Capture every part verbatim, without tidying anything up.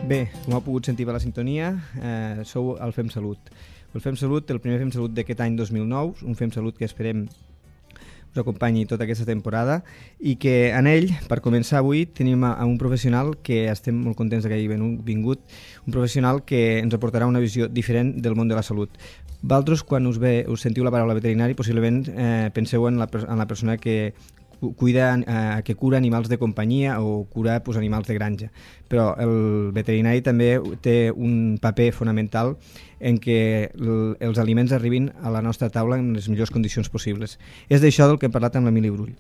Bé, com heu pogut sentir per la sintonia, eh, sou el Fem Salut. El Fem Salut, el primer Fem Salut d'aquest any dos mil nou, un Fem Salut que esperem us acompanyi tota aquesta temporada i que en ell, per començar avui, tenim a, a un professional que estem molt contents que hagi vingut, un professional que ens aportarà una visió diferent del món de la salut. Vosaltres, quan us, ve, us sentiu la paraula veterinari, possiblement eh, penseu en la, en la persona que cuida, eh, que cura animals de companyia o cura pues, animals de granja, però el veterinari també té un paper fonamental en què el, els aliments arribin a la nostra taula en les millors condicions possibles. És d'això del que hem parlat amb l'Emili Brull.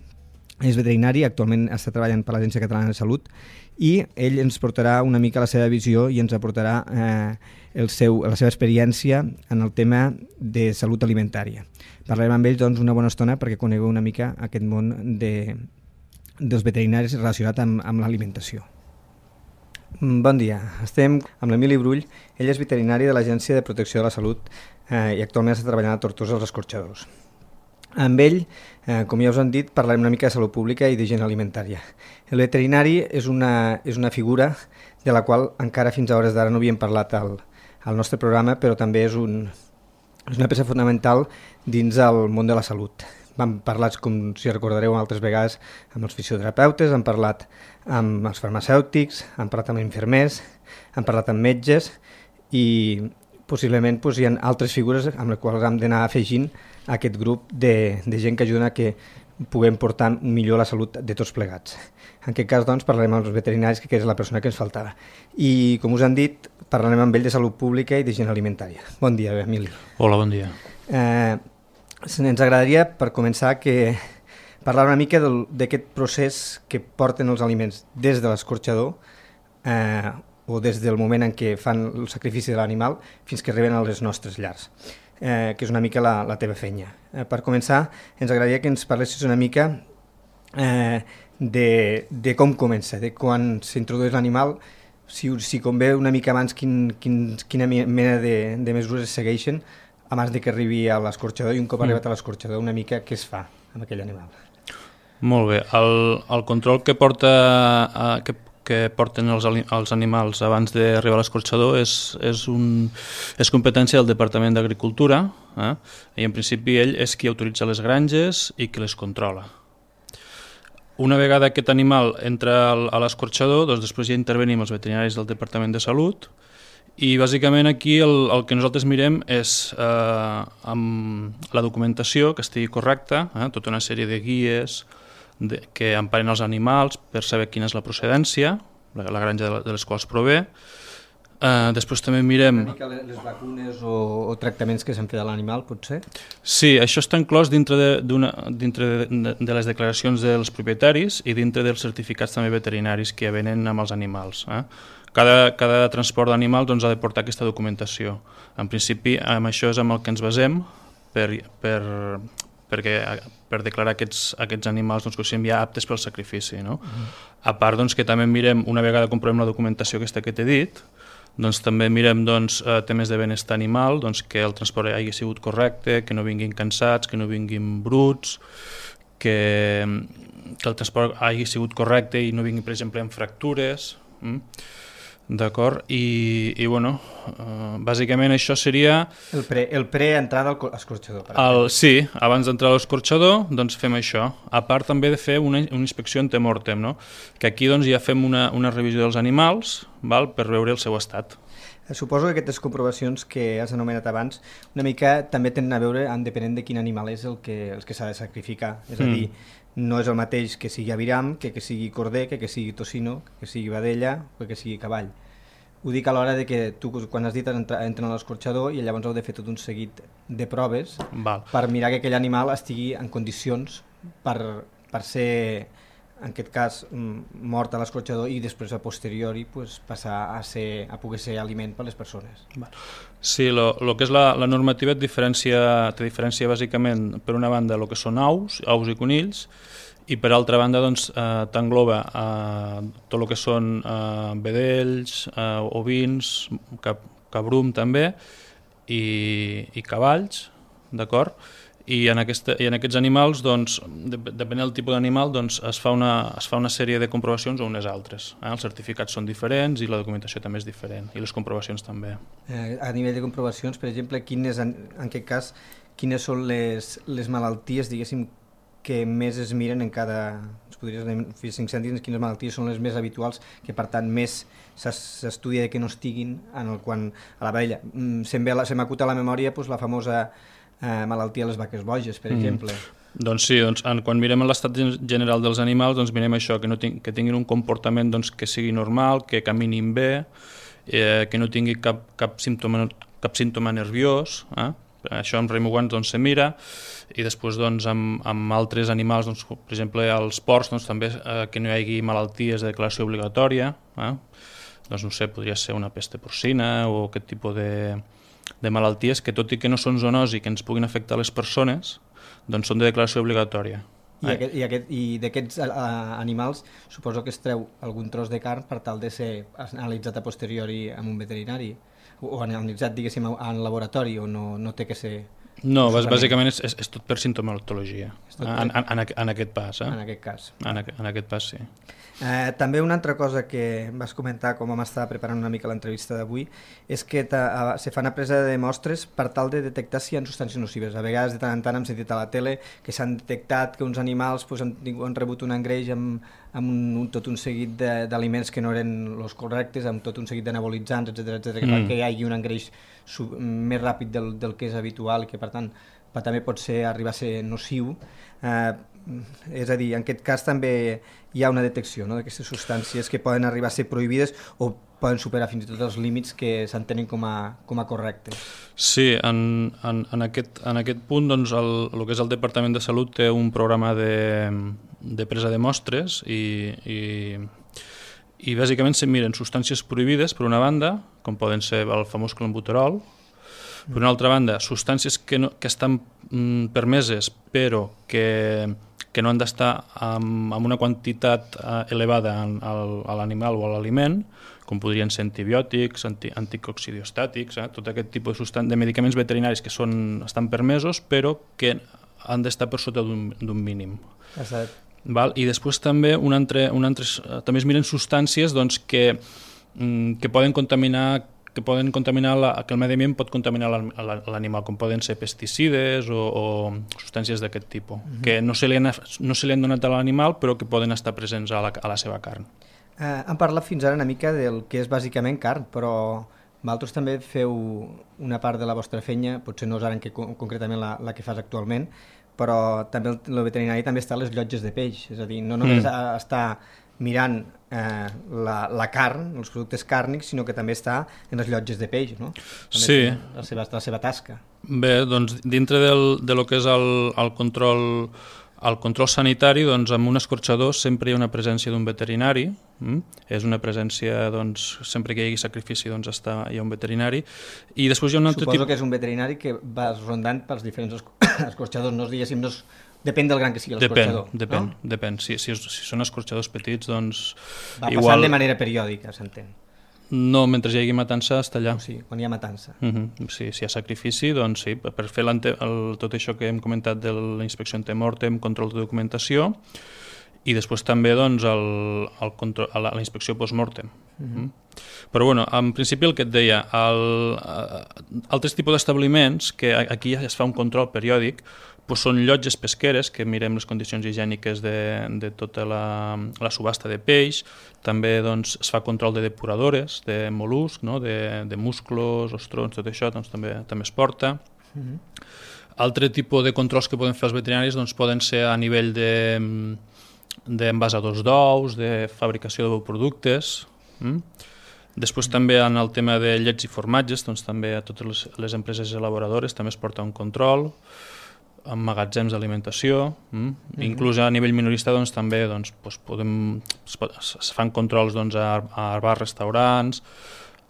És veterinari, actualment està treballant per l'Agència Catalana de Salut i ell ens portarà una mica la seva visió i ens aportarà eh, el seu, la seva experiència en el tema de salut alimentària. Parlarem amb ell doncs, una bona estona perquè conegueu una mica aquest món de, dels veterinaris relacionat amb, amb l'alimentació. Bon dia, estem amb l'Emili Brull. Ell és veterinari de l'Agència de Protecció de la Salut eh, i actualment està treballant a Tortosa als Escorxadors. Amb ell, eh, com ja us han dit, parlarem una mica de salut pública i d'higiene alimentària. El veterinari és una, és una figura de la qual encara fins a hores d'ara no havíem parlat al, al nostre programa, però també és, un, és una peça fonamental dins el món de la salut. Vam parlar, com si recordareu altres vegades, amb els fisioterapeutes, hem parlat amb els farmacèutics, hem parlat amb infermers, hem parlat amb metges i possiblement doncs, hi ha altres figures amb les quals hem d'anar afegint a aquest grup de, de gent que ajuden a que puguem portar millor la salut de tots plegats. En aquest cas doncs, parlarem amb els veterinaris, que és la persona que ens faltava. I com us han dit, parlarem amb ell de salut pública i d'higiene alimentària. Bon dia, Emili. Hola, bon dia. Eh, ens agradaria, per començar, que parlar una mica d'aquest procés que porten els aliments des de l'escorxador eh, o des del moment en què fan el sacrifici de l'animal fins que arriben a les nostres llars, eh, que és una mica la, la teva feina. Eh, per començar, ens agradaria que ens parlessis una mica eh, de, de com comença, de quan s'introdueix l'animal, si, si convé una mica abans quin, quin, quina mena de, de mesures es segueixen abans de que arribi a l'escorxador i un cop mm. arribat a l'escorxador una mica què es fa amb aquell animal. Molt bé, el, el control que porta a, que, que porten els, els animals abans d'arribar a l'escorxador és, és, un, és competència del Departament d'Agricultura, eh? I en principi ell és qui autoritza les granges i qui les controla. Una vegada aquest animal entra a l'escorxador, doncs després ja intervenim els veterinaris del Departament de Salut i bàsicament aquí el, el que nosaltres mirem és eh, amb la documentació que estigui correcta, eh, tota una sèrie de guies de, que emparen els animals per saber quina és la procedència, la, la granja de, de les quals prové. Uh, després també mirem... Una mica les vacunes o, o tractaments que s'han fet a l'animal, potser? Sí, això està inclòs dintre, de, dintre de, de les declaracions dels propietaris i dintre dels certificats també veterinaris que venen amb els animals. Eh? Cada, cada transport d'animal doncs, ha de portar aquesta documentació. En principi, amb això és amb el que ens basem per, per, perquè, per declarar aquests, aquests animals doncs, que siguin ja aptes pel sacrifici. No? Uh-huh. A part doncs, que també mirem, una vegada comprovem la documentació aquesta que t'he dit, doncs, també mirem doncs, temes de benestar animal, doncs, que el transport hagi sigut correcte, que no vinguin cansats, que no vinguin bruts, que, que el transport hagi sigut correcte i no vingui, per exemple, amb fractures. Mm? D'acord? I, i bueno, uh, bàsicament això seria... El pre, el pre-entrada a l'escorxador. El, sí, abans d'entrar a l'escorxador doncs fem això. A part també de fer una, una inspecció antemortem, no? Que aquí doncs, ja fem una, una revisió dels animals, val? Per veure el seu estat. Suposo que aquestes comprovacions que has anomenat abans una mica també tenen a veure en depenent de quin animal és el que, el que s'ha de sacrificar. És a dir, mm. no és el mateix que sigui aviram, que que sigui corder, que que sigui tocino, que sigui vedella o que sigui cavall. Ho dic a l'hora de que tu, quan has dit, entren a l'escorxador i llavors heu de fer tot un seguit de proves Val. Per mirar que aquell animal estigui en condicions per, per ser, en aquest cas, mort a l'escorxador i després a posteriori pues, passar a, ser, a poder ser aliment per a les persones. Val. Sí, el que és la, la normativa et diferencia, te diferencia bàsicament per una banda el que són aus, aus i conills, i per altra banda doncs, eh, t'engloba eh, tot el que són eh, vedells, eh, ovins, cap, cabrum també, i, i cavalls, d'acord? i en, aquesta, i en aquests animals, doncs, depenent del tipus d'animal, doncs, es, fa una, es fa una sèrie de comprovacions o unes altres. Eh? Els certificats són diferents i la documentació també és diferent, i les comprovacions també. Eh, a nivell de comprovacions, per exemple, quines, en, en aquest cas, quines són les, les malalties, diguéssim, que més es miren en cada... Es podries fer cinc cèntims, quines malalties són les més habituals, que per tant més s'estudia que no estiguin en el quan a la vella. Se m'acuta a la memòria doncs, la famosa eh, malaltia de les vaques boges, per mm. exemple. Doncs sí, doncs, en, quan mirem l'estat general dels animals, doncs mirem això, que, no ting, que tinguin un comportament doncs, que sigui normal, que caminin bé, eh, que no tingui cap, cap, símptoma, cap símptoma nerviós, eh? Això amb remuguants doncs, se mira, i després doncs, amb, amb altres animals, doncs, per exemple els porcs, doncs, també eh, que no hi hagi malalties de declaració obligatòria, eh? Doncs no sé, podria ser una peste porcina o aquest tipus de, de malalties que tot i que no són zoonosi que ens puguin afectar les persones, doncs són de declaració obligatòria. I, aquest, i, aquest, i d'aquests animals suposo que es treu algun tros de carn per tal de ser analitzat a posteriori amb un veterinari o analitzat, diguéssim, en laboratori o no, no té que ser... No, bàsicament és, és, és tot per sintomatologia, tot per... En, en, en aquest pas. Eh? En aquest cas. En, en aquest pas, sí. Eh, també una altra cosa que vas comentar com vam estar preparant una mica l'entrevista d'avui és que ta, se fa una presa de mostres per tal de detectar si hi ha substàncies nocives. A vegades de tant en tant hem sentit a la tele que s'han detectat que uns animals pues, han, han rebut un engreix amb, amb un, un, tot un seguit d'aliments que no eren els correctes, amb tot un seguit d'anabolitzants, etcètera, etcètera, que mm. fa que hi hagi un engreix sub, més ràpid del, del que és habitual i que per tant però també pot ser, arribar a ser nociu. Eh, és a dir, en aquest cas també hi ha una detecció, no?, d'aquestes substàncies que poden arribar a ser prohibides o poden superar fins i tot els límits que s'entenen com, com a correctes. Sí, en, en, en, aquest, en aquest punt doncs, el, el que és el Departament de Salut té un programa de, de presa de mostres i, i, i bàsicament se miren substàncies prohibides per una banda, com poden ser el famós clenbuterol. Per una altra banda, substàncies que, no, que estan mm, permeses però que, que no han d'estar amb, amb una quantitat eh, elevada en, al, a l'animal o a l'aliment, com podrien ser antibiòtics, anti, anticoccidiostàtics, eh, tot aquest tipus de, substan- de medicaments veterinaris que són, estan permesos però que han d'estar per sota d'un mínim. Exacte. Val? I després també, un altre, un altre, també es miren substàncies doncs, que, mm, que poden contaminar que poden contaminar, la, que el medi ambient pot contaminar l'animal, com poden ser pesticides o, o substàncies d'aquest tipus, uh-huh. que no se, li han, no se li han donat a l'animal però que poden estar presents a la, a la seva carn. Eh, hem parlat fins ara una mica del que és bàsicament carn, però vosaltres també feu una part de la vostra feina, potser no és ara en què, concretament la, la que fas actualment, però també el, el veterinari també està a les llotges de peix, és a dir, no només mm. està mirant eh, la, la carn, els productes càrnics, sinó que també està en les llotges de peix, no? També sí. La seva, la seva tasca. Bé, doncs dintre del, de lo que és el, el control el control sanitari, doncs amb un escorxador sempre hi ha una presència d'un veterinari, mm? és una presència, doncs, sempre que hi hagi sacrifici doncs està, hi ha un veterinari, i després hi ha un altre Suposo tipus... que és un veterinari que va rondant pels diferents escorxadors, no diguéssim, no és... Depèn del gran que sigui l'escorxador, depèn, no? Depèn, si, si, si són escorxadors petits, doncs... Va igual... passant de manera periòdica, s'entén. No, mentre hi hagi matança està allà. O sigui, quan hi ha matança. Uh-huh. Sí, si hi ha sacrifici, doncs sí, per fer el, tot això que hem comentat de la inspecció antemortem, control de documentació, i després també doncs, el, el control, la, la inspecció postmortem. Uh-huh. Però bueno, en principi el que et deia, el, uh, altres tipus d'establiments, que aquí ja es fa un control periòdic, doncs són llotges pesqueres, que mirem les condicions higièniques de, de tota la, la subhasta de peix, també doncs, es fa control de depuradores, de mol·luscs, no? de, de musclos, ostrons, tot això doncs, també, també es porta. Uh-huh. Altre tipus de controls que poden fer els veterinaris doncs, poden ser a nivell d'envasadors de, d'ous, de fabricació de productes. Mm? Després uh-huh. també en el tema de llets i formatges, doncs, també a totes les, les empreses elaboradores també es porta un control, amb magatzems d'alimentació, mm? mm-hmm. inclús a nivell minorista doncs, també doncs, doncs, podem, es, es fan controls doncs, a, a bars, restaurants,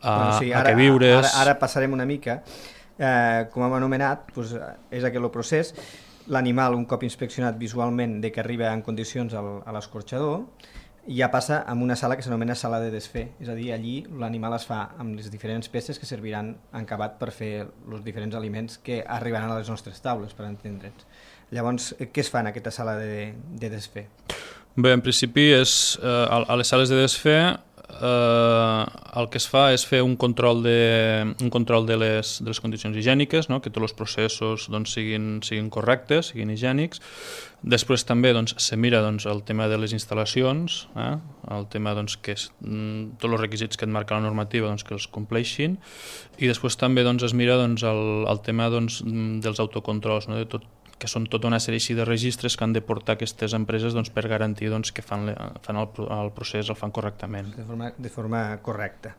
a, bueno, sí, ara, a queviures... Ara, ara passarem una mica. Eh, com hem anomenat, doncs, és aquest el procés. L'animal, un cop inspeccionat visualment, de que arriba en condicions al, a l'escorxador, ja passa a una sala que s'anomena sala de desfer, és a dir, allí l'animal es fa amb les diferents peces que serviran en acabat per fer els diferents aliments que arribaran a les nostres taules, per entendre'ns. Llavors, què es fa en aquesta sala de, de desfer? Bé, en principi, és, eh, a les sales de desfer eh, el que es fa és fer un control de, un control de, les, de les condicions higièniques, no? Que tots els processos doncs, siguin, siguin correctes, siguin higiènics. Després també doncs, se mira doncs, el tema de les instal·lacions, eh? El tema doncs, que és, mm, tots els requisits que et marca la normativa doncs, que els compleixin, i després també doncs, es mira doncs, el, el tema doncs, dels autocontrols, no? De tot, que són tota una sèrie de registres que han de portar aquestes empreses doncs, per garantir doncs, que fan, fan el, el procés, el fan correctament. De forma, de forma correcta.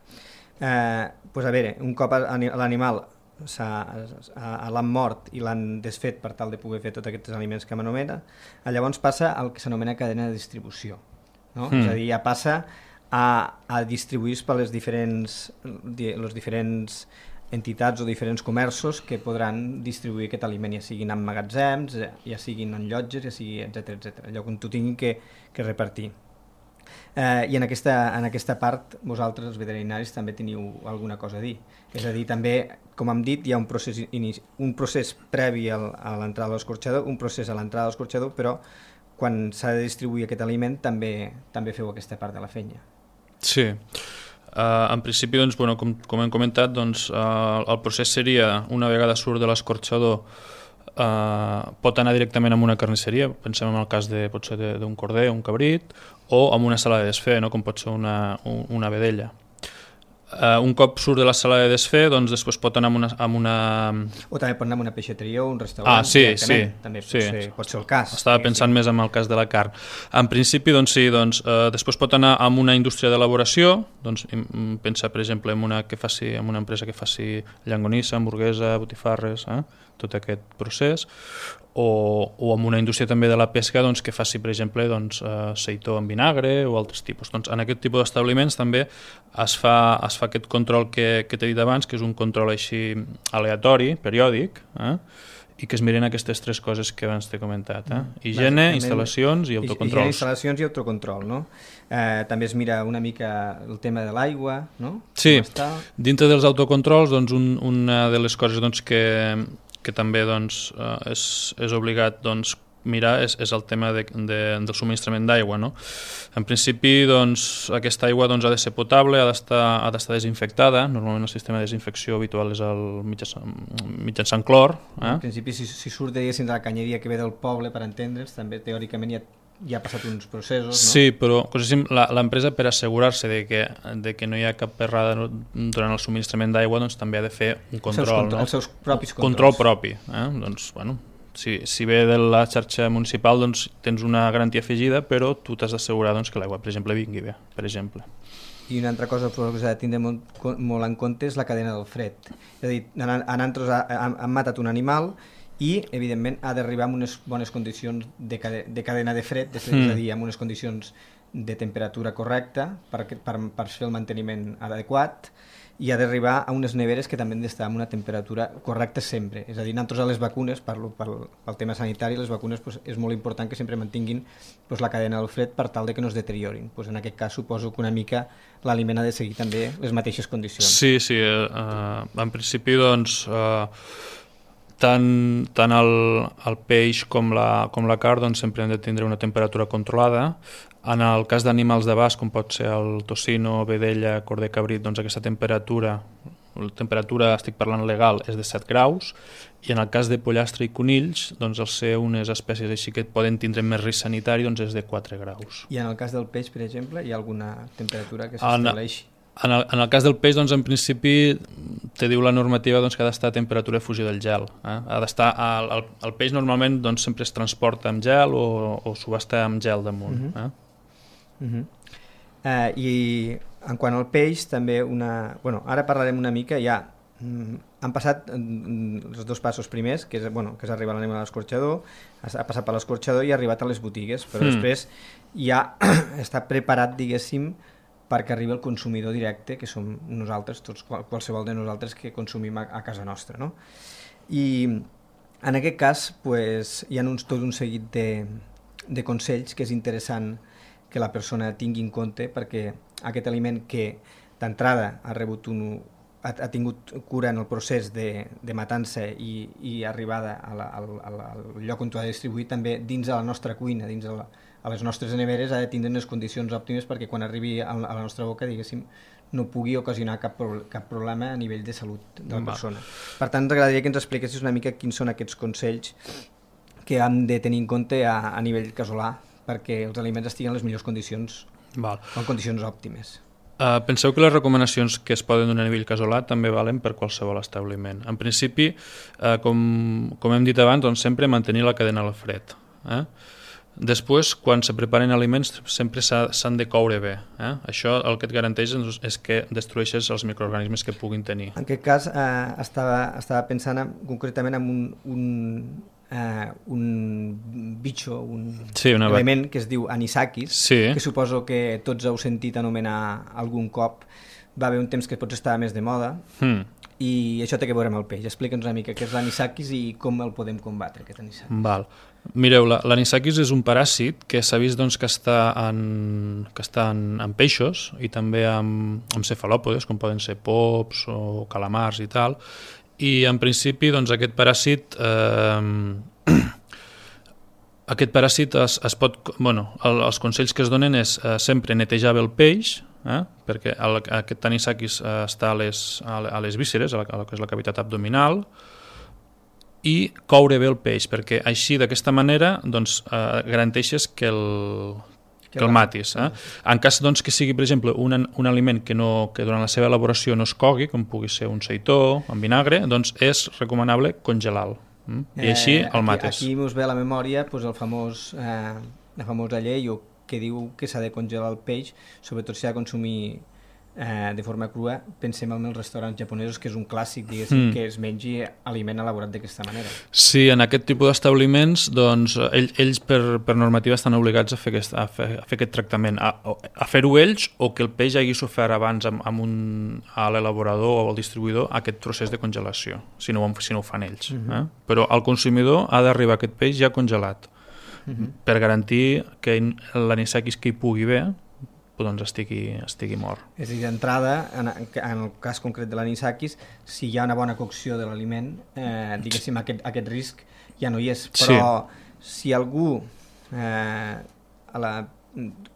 Eh, pues a veure, un cop l'animal l'han mort i l'han desfet per tal de poder fer tots aquests aliments que m'anomena, llavors passa al que s'anomena cadena de distribució. No? Mm. És a dir, ja passa a, a distribuir-se per les diferents, les diferents entitats o diferents comerços que podran distribuir aquest aliment, ja siguin en magatzems, ja siguin en llotges, ja sigui, etcètera, etcètera, allò on tu tinguin que, que repartir. Eh, I en aquesta, en aquesta part vosaltres, els veterinaris, també teniu alguna cosa a dir. És a dir, també, com hem dit, hi ha un procés, un procés previ al, a l'entrada de l'escorxador, un procés a l'entrada de l'escorxador, però quan s'ha de distribuir aquest aliment també, també feu aquesta part de la feina. Sí. Uh, en principi, doncs, bueno, com, com hem comentat, doncs, uh, el procés seria, una vegada surt de l'escorxador, uh, pot anar directament a una carnisseria, pensem en el cas de, pot ser d'un corder, un cabrit, o en una sala de desfer, no? Com pot ser una, una vedella. Uh, un cop surt de la sala de desfer, doncs després pot anar amb una... Amb una... O també pot anar a una peixateria o un restaurant. Ah, sí, sí. També pot, sí. Ser, pot ser el cas. Estava sí, pensant sí. més en el cas de la carn. En principi, doncs sí, doncs, eh, després pot anar a una indústria d'elaboració, doncs pensa, per exemple, en una, que faci, en una empresa que faci llangonissa, hamburguesa, botifarres, eh? Tot aquest procés, o, o en una indústria també de la pesca doncs, que faci, per exemple, doncs, eh, seitó en vinagre o altres tipus. Doncs, en aquest tipus d'establiments també es fa, es fa aquest control que, que t'he dit abans, que és un control així aleatori, periòdic, eh? I que es miren aquestes tres coses que abans t'he comentat. Eh? Higiene, instal·lacions i autocontrols. Higiene, instal·lacions i autocontrol, no? Eh, també es mira una mica el tema de l'aigua, no? Sí, dintre dels autocontrols, doncs, un, una de les coses doncs, que, que també doncs, és, és obligat doncs, mirar és, és el tema de, de, del subministrament d'aigua. No? En principi, doncs, aquesta aigua doncs, ha de ser potable, ha d'estar ha d'estar desinfectada. Normalment el sistema de desinfecció habitual és el mitjançant, mitjançant clor. Eh? En principi, si, si surt de la canyeria que ve del poble, per entendre's, també teòricament ja, ja ha passat uns processos, no? Sí, però l'empresa, per assegurar-se de que, de que no hi ha cap errada durant el subministrament d'aigua, doncs, també ha de fer un control. Els seus, control, no? els seus propis controls. Control propi. Eh? Doncs, bueno, Si, si ve de la xarxa municipal doncs tens una garantia afegida, però tu t'has d'assegurar doncs, que l'aigua, per exemple, vingui bé, per exemple. I una altra cosa que s'ha de tindre molt, molt en compte és la cadena del fred. És a dir, nosaltres hem matat un animal i, evidentment, ha d'arribar en unes bones condicions de, cade, de cadena de fred, és a dir, en unes condicions de temperatura correcta per, per, per fer el manteniment adequat, i ha d'arribar a unes neveres que també han d'estar en una temperatura correcta sempre. És a dir, nosaltres a les vacunes, parlo pel, pel tema sanitari, les vacunes pues, és molt important que sempre mantinguin pues, la cadena del fred per tal de que no es deteriorin. Pues, en aquest cas suposo que una mica l'aliment ha de seguir també les mateixes condicions. Sí, sí. Eh, en principi, doncs, eh, tant, tant el, el peix com la, com la carn doncs, sempre han de tindre una temperatura controlada. En el cas d'animals de bast, com pot ser el tocino, vedella, corder, cabrit, doncs aquesta temperatura, la temperatura, estic parlant legal, és de set graus, i en el cas de pollastre i conills, doncs al ser unes espècies així que poden tindre més risc sanitari, doncs és de quatre graus. I en el cas del peix, per exemple, hi ha alguna temperatura que s'estableixi? En el, en el cas del peix, doncs, en principi, te diu la normativa doncs, que ha d'estar a temperatura de fusió del gel. Eh? Ha d'estar, el, el, el peix normalment doncs, sempre es transporta amb gel o, o subhasta amb gel damunt. Uh -huh. eh? Uh -huh. uh, I en quant al peix també una... Bueno, ara parlarem una mica ja mm, han passat mm, els dos passos primers, que és, bueno, que és arribar l'animal a l'escorxador, ha passat per l'escorxador i ha arribat a les botigues, però mm. després ja està preparat, diguéssim, perquè arribi el consumidor directe, que som nosaltres, tots, qualsevol de nosaltres que consumim a, a casa nostra, no? I en aquest cas pues, hi ha uns, tot un seguit de, de consells que és interessant que la persona tingui en compte perquè aquest aliment que d'entrada ha rebut un, ha, ha tingut cura en el procés de, de matança i, i arribada a la, al, al lloc on ho ha distribuït, també dins de la nostra cuina, dins de la, a les nostres neveres, ha de tindre unes condicions òptimes perquè quan arribi a la nostra boca, diguéssim, no pugui ocasionar cap, cap problema a nivell de salut de la persona. Per tant, ens agradaria que ens expliquessis una mica quins són aquests consells que hem de tenir en compte a, a nivell casolà perquè els aliments estiguin en les millors condicions, Val. o en condicions òptimes. Uh, penseu que les recomanacions que es poden donar a nivell casolà també valen per qualsevol establiment. En principi, uh, com, com hem dit abans, doncs sempre mantenir la cadena al fred. Eh? Després, quan se preparen aliments, sempre s'han de coure bé. Eh? Això el que et garanteix és que destrueixes els microorganismes que puguin tenir. En aquest cas, eh, estava, estava pensant en, concretament en un, un, eh, un bitxo, un sí, una element que es diu anisakis, sí. que suposo que tots heu sentit anomenar algun cop. Va haver un temps que potser estava més de moda, mm. i això té que veure amb el peix. Explica'ns una mica què és l'anisakis i com el podem combatre, aquest anisakis. Val. Mireu, l'anisakis és un paràsit que s'ha vist doncs, que està, en, que està en, en peixos i també en, en cefalòpodes, com poden ser pops o calamars i tal, i en principi doncs, aquest paràsit eh, aquest paràsit es, es pot, bueno, el, els consells que es donen és eh, sempre netejar bé el peix, eh, perquè el, aquest anisakis eh, està a les, a les vísceres, a la, a la que és la cavitat abdominal, i coure bé el peix, perquè així d'aquesta manera doncs, eh, garanteixes que el, que el matis. Eh? En cas doncs, que sigui, per exemple, un, un aliment que, no, que durant la seva elaboració no es cogui, com pugui ser un seitó amb vinagre, doncs és recomanable congelar-lo. Mm? I així eh, el mates. Aquí, aquí us ve a la memòria pues, el famós, eh, la famosa llei que diu que s'ha de congelar el peix, sobretot si ha de consumir eh, de forma crua. Pensem en els restaurants japonesos, que és un clàssic, diguéssim, mm. que es mengi aliment elaborat d'aquesta manera. Sí, en aquest tipus d'establiments, doncs, ells, ells per, per normativa estan obligats a fer aquest, a fer, a fer aquest tractament, a, a fer-ho ells o que el peix hagi sofert abans amb, amb un, a l'elaborador o al distribuïdor aquest procés de congelació, si no, si no ho fan ells. Mm-hmm. eh? Però al consumidor ha d'arribar aquest peix ja congelat, mm-hmm. per garantir que l'anisakis que hi pugui haver doncs estigui, estigui mort. És a dir, d'entrada, en, en el cas concret de l'anisakis, si hi ha una bona cocció de l'aliment, eh, diguéssim, aquest, aquest risc ja no hi és. Però sí. si algú, eh, a la,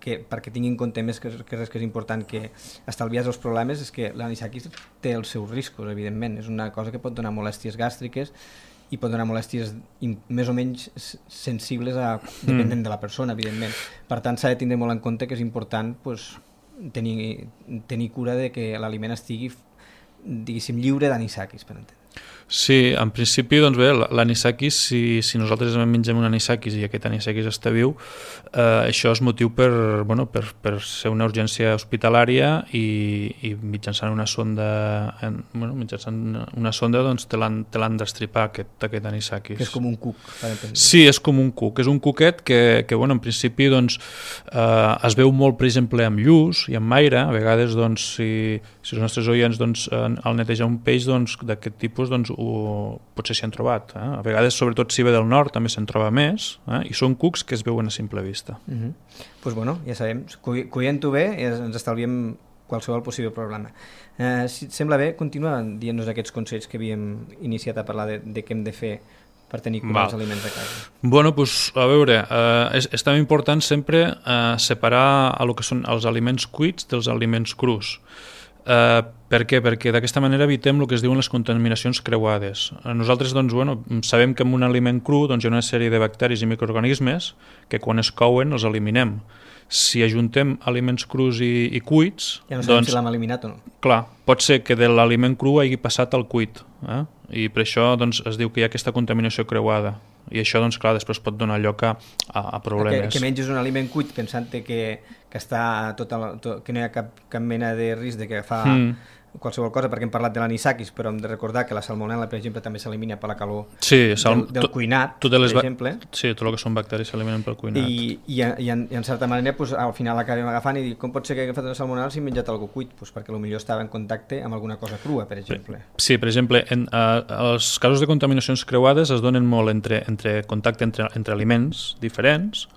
que, perquè tingui en compte més que, que res que és important que estalviar els problemes, és que l'anisakis té els seus riscos, evidentment. És una cosa que pot donar molèsties gàstriques i pot donar molèsties més o menys sensibles a, dependent de la persona, evidentment. Per tant, s'ha de tindre molt en compte que és important pues, tenir, tenir cura de que l'aliment estigui, diguéssim, lliure d'anisakis, per entendre. Sí, en principi, doncs bé, l'anisakis, si, si nosaltres mengem un anisakis i aquest anisakis està viu, eh, això és motiu per, bueno, per, per ser una urgència hospitalària i, i mitjançant una sonda, en, bueno, mitjançant una sonda doncs, te l'han d'estripar aquest, aquest anisakis. Que és com un cuc, per entendre. Sí, és com un cuc, és un cuquet que, que bueno, en principi doncs, eh, es veu molt, per exemple, amb lluç i amb aire. A vegades, doncs, si, si els nostres oients doncs, al netejar un peix doncs, d'aquest tipus, doncs, o potser s'hi han trobat. Eh? A vegades, sobretot si ve del nord, també se'n troba més, eh? i són cucs que es veuen a simple vista. Doncs uh -huh. pues bueno, ja sabem, cuient-ho bé ens estalviem qualsevol possible problema. Eh, si et sembla bé, continua dient-nos aquests consells que havíem iniciat a parlar de, de què hem de fer per tenir cura dels aliments de casa. Bueno, doncs, a veure, eh, és, és també important sempre eh, separar el que són els aliments cuits dels aliments crus. Uh, per què? Perquè d'aquesta manera evitem el que es diuen les contaminacions creuades. Nosaltres doncs, bueno, sabem que en un aliment cru doncs, hi ha una sèrie de bacteris i microorganismes que quan es couen els eliminem. Si ajuntem aliments crus i, i cuits... Ja no sabem doncs, si l'hem eliminat o no. Clar, pot ser que de l'aliment cru hagi passat al cuit, eh? I per això doncs, es diu que hi ha aquesta contaminació creuada. I això, doncs, clar, després pot donar lloc a, a problemes. Que, que menges un aliment cuit pensant que, que, està tot el, tot, que no hi ha cap, cap mena de risc de que fa mm. qualsevol cosa, perquè hem parlat de l'anisakis, però hem de recordar que la salmonel·la, per exemple, també s'elimina per la calor sí, sal... del, del cuinat, tot, tot per exemple. Sí, tot el que són bacteris s'eliminen pel cuinat. I, i, i, en, i en certa manera, pues, al final acabem agafant i dic, com pot ser que he agafat una salmonel·la si he menjat alguna cuit? Pues perquè potser estava en contacte amb alguna cosa crua, per exemple. Sí, per exemple, en, uh, els casos de contaminacions creuades es donen molt entre, entre contacte entre, entre aliments diferents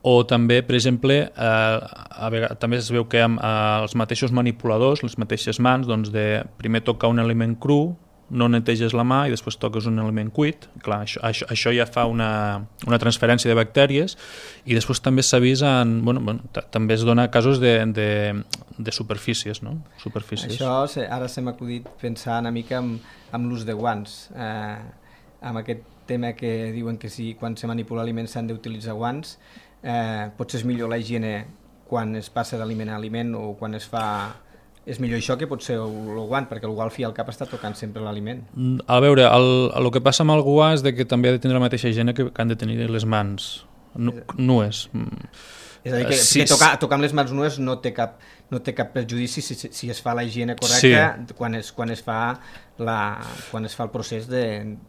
o també, per exemple, eh, a vegades, també es veu que amb, eh, els mateixos manipuladors, les mateixes mans, doncs de primer tocar un aliment cru, no neteges la mà i després toques un aliment cuit. Clar, això, això, això ja fa una, una transferència de bactèries, i després també s'ha vist en, bueno, bueno, també es dona casos de, de, de superfícies, no? Superfícies. Això ara se m'ha acudit pensar una mica amb, amb l'ús de guants, eh, amb aquest tema que diuen que si quan se manipula aliments s'han d'utilitzar guants. Eh, potser és millor la higiene quan es passa d'aliment a aliment, o quan es fa... És millor això que potser el guant, perquè algú al fi al cap està tocant sempre l'aliment. A veure, el, el que passa amb el guant és de que també ha de tenir la mateixa higiene que, que han de tenir les mans nu, nues. És a dir, que, sí, que tocar, tocar amb les mans nues no té cap, no té cap perjudici si, si es fa la higiene correcta, sí. quan, es, quan, es fa la, quan es fa el procés de,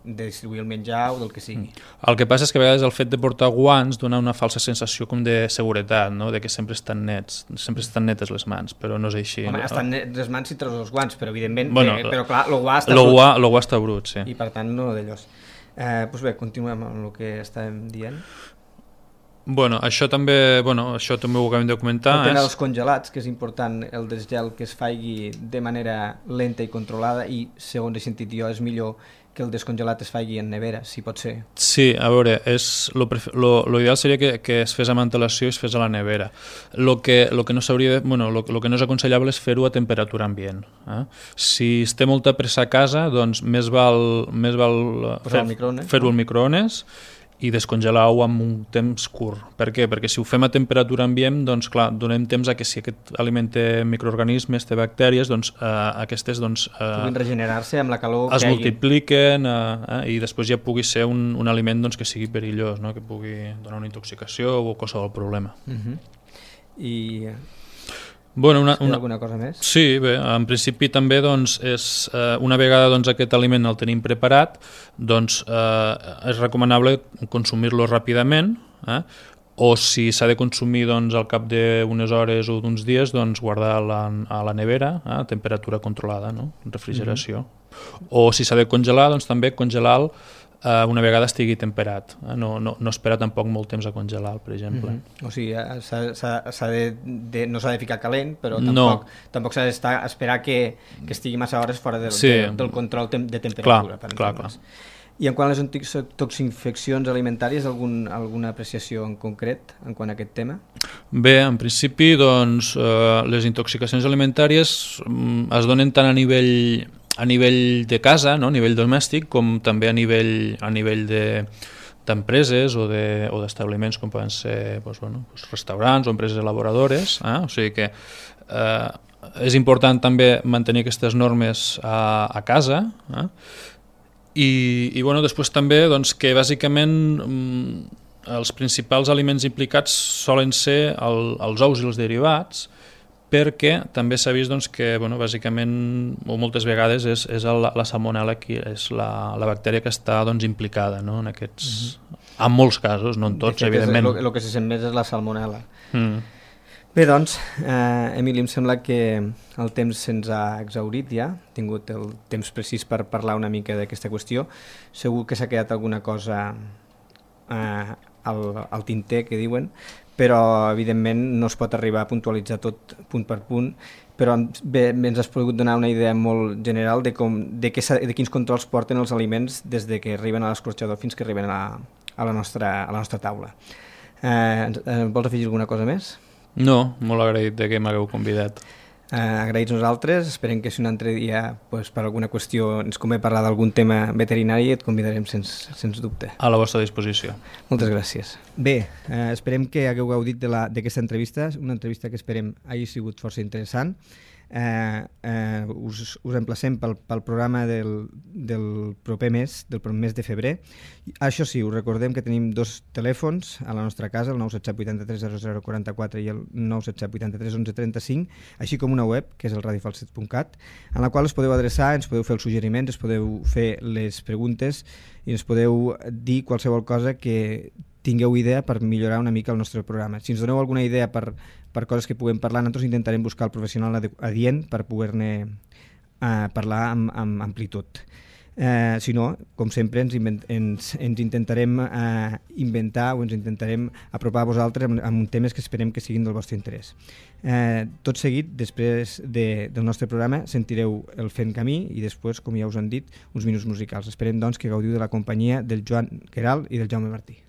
de distribuir el menjar o del que sigui. El que passa és que a vegades el fet de portar guants dona una falsa sensació com de seguretat, no? De que sempre estan nets, sempre estan netes les mans, però no és així. Home, no? estan netes les mans si treus els guants, però evidentment, bueno, eh, però clar, el guant està lo brut. Guà, lo guà està brut, sí. I per tant no d'allòs. Eh, doncs bé, continuem amb el que estàvem dient. Bueno, això també, bueno, això també ho acabem de comentar. El tema és... dels congelats, que és important el desgel que es faci de manera lenta i controlada, i segons he sentit jo és millor que el descongelat es faci en nevera, si pot ser. Sí, a veure, és lo, lo, lo ideal seria que, que es fes amb antelació i es fes a la nevera. Lo que, lo que no s'hauria de, bueno, lo, lo que no és aconsellable és fer-ho a temperatura ambient. Eh? Si es té molta pressa a casa, doncs més val, més val fer, fer-ho al microones i descongelar-ho amb un temps curt. Per què? Perquè si ho fem a temperatura ambient, doncs clar, donem temps a que si aquest aliment té microorganismes, té bactèries, doncs eh, aquestes doncs, eh, puguin regenerar-se amb la calor es que multipliquen eh, eh, i després ja pugui ser un, un aliment doncs, que sigui perillós, no? Que pugui donar una intoxicació o qualsevol problema. Uh-huh. I... Bueno, una, una... alguna cosa més? Sí, bé, en principi també doncs, és, eh, una vegada doncs, aquest aliment el tenim preparat, doncs eh, és recomanable consumir-lo ràpidament, eh? O si s'ha de consumir doncs, al cap d'unes hores o d'uns dies, doncs, guardar-la a la nevera, eh? A temperatura controlada, no? Refrigeració. Mm-hmm. O si s'ha de congelar, doncs també congelar-lo eh, una vegada estigui temperat. Eh? No, no, no espera tampoc molt temps a congelar, per exemple. Mm-hmm. O sigui, s'ha de, de, no s'ha de ficar calent, però tampoc, no. tampoc s'ha d'esperar que, que estigui massa hores fora del, sí. de, del control tem de temperatura. Clar, clar, clar. I en quant a les intoxicacions alimentàries, algun, alguna apreciació en concret en quant a aquest tema? Bé, en principi, doncs, eh, les intoxicacions alimentàries mm, es donen tant a nivell, a nivell de casa, no? A nivell domèstic, com també a nivell, a nivell de d'empreses o d'establiments de, com poden ser doncs, bueno, doncs restaurants o empreses elaboradores. Eh? O sigui que eh, és important també mantenir aquestes normes a, a casa, eh? I, i bueno, després també doncs, que bàsicament mm, els principals aliments implicats solen ser el, els ous i els derivats, perquè també s'ha vist doncs, que bueno, bàsicament o moltes vegades és, és la, la salmonella que és la, la bactèria que està doncs, implicada, no? En aquests, mm-hmm. en molts casos, no en tots, evidentment. El que se sent més és la salmonella. Mm. Bé, doncs, eh, Emili, em sembla que el temps se'ns ha exhaurit ja, hem tingut el temps precís per parlar una mica d'aquesta qüestió. Segur que s'ha quedat alguna cosa eh, al, al tinter, que diuen, però evidentment no es pot arribar a puntualitzar tot punt per punt, però bé, ens has pogut donar una idea molt general de, com, de, que, de quins controls porten els aliments des de que arriben a l'escorxador fins que arriben a la, a la, nostra, a la nostra taula. Eh, vols afegir alguna cosa més? No, molt agraït de que m'hagueu convidat. Eh, agraïts nosaltres, esperem que si un altre dia pues, per alguna qüestió ens convé parlar d'algun tema veterinari et convidarem sens, sens dubte. A la vostra disposició. Moltes gràcies. Bé, eh, esperem que hagueu gaudit d'aquesta entrevista, una entrevista que esperem hagi sigut força interessant. Eh, eh, us, us emplacem pel, pel programa del, del proper mes, del mes de febrer. Això sí, us recordem que tenim dos telèfons a la nostra casa, el nou set set vuit tres zero zero quatre quatre i el nou set set vuit tres onze trenta cinc, així com una web, que és el radiofalset punt cat, en la qual us podeu adreçar, ens podeu fer els suggeriments, ens podeu fer les preguntes i ens podeu dir qualsevol cosa que tingueu idea per millorar una mica el nostre programa. Si ens doneu alguna idea per, per coses que puguem parlar, nosaltres intentarem buscar el professional adient per poder-ne eh, parlar amb, amb amplitud. Eh, si no, com sempre, ens, invent, ens, ens intentarem eh, inventar o ens intentarem apropar a vosaltres amb, amb temes que esperem que siguin del vostre interès. Eh, tot seguit, després de, del nostre programa, sentireu el Fent Camí i després, com ja us han dit, uns minuts musicals. Esperem, doncs, que gaudiu de la companyia del Joan Queralt i del Jaume Martí.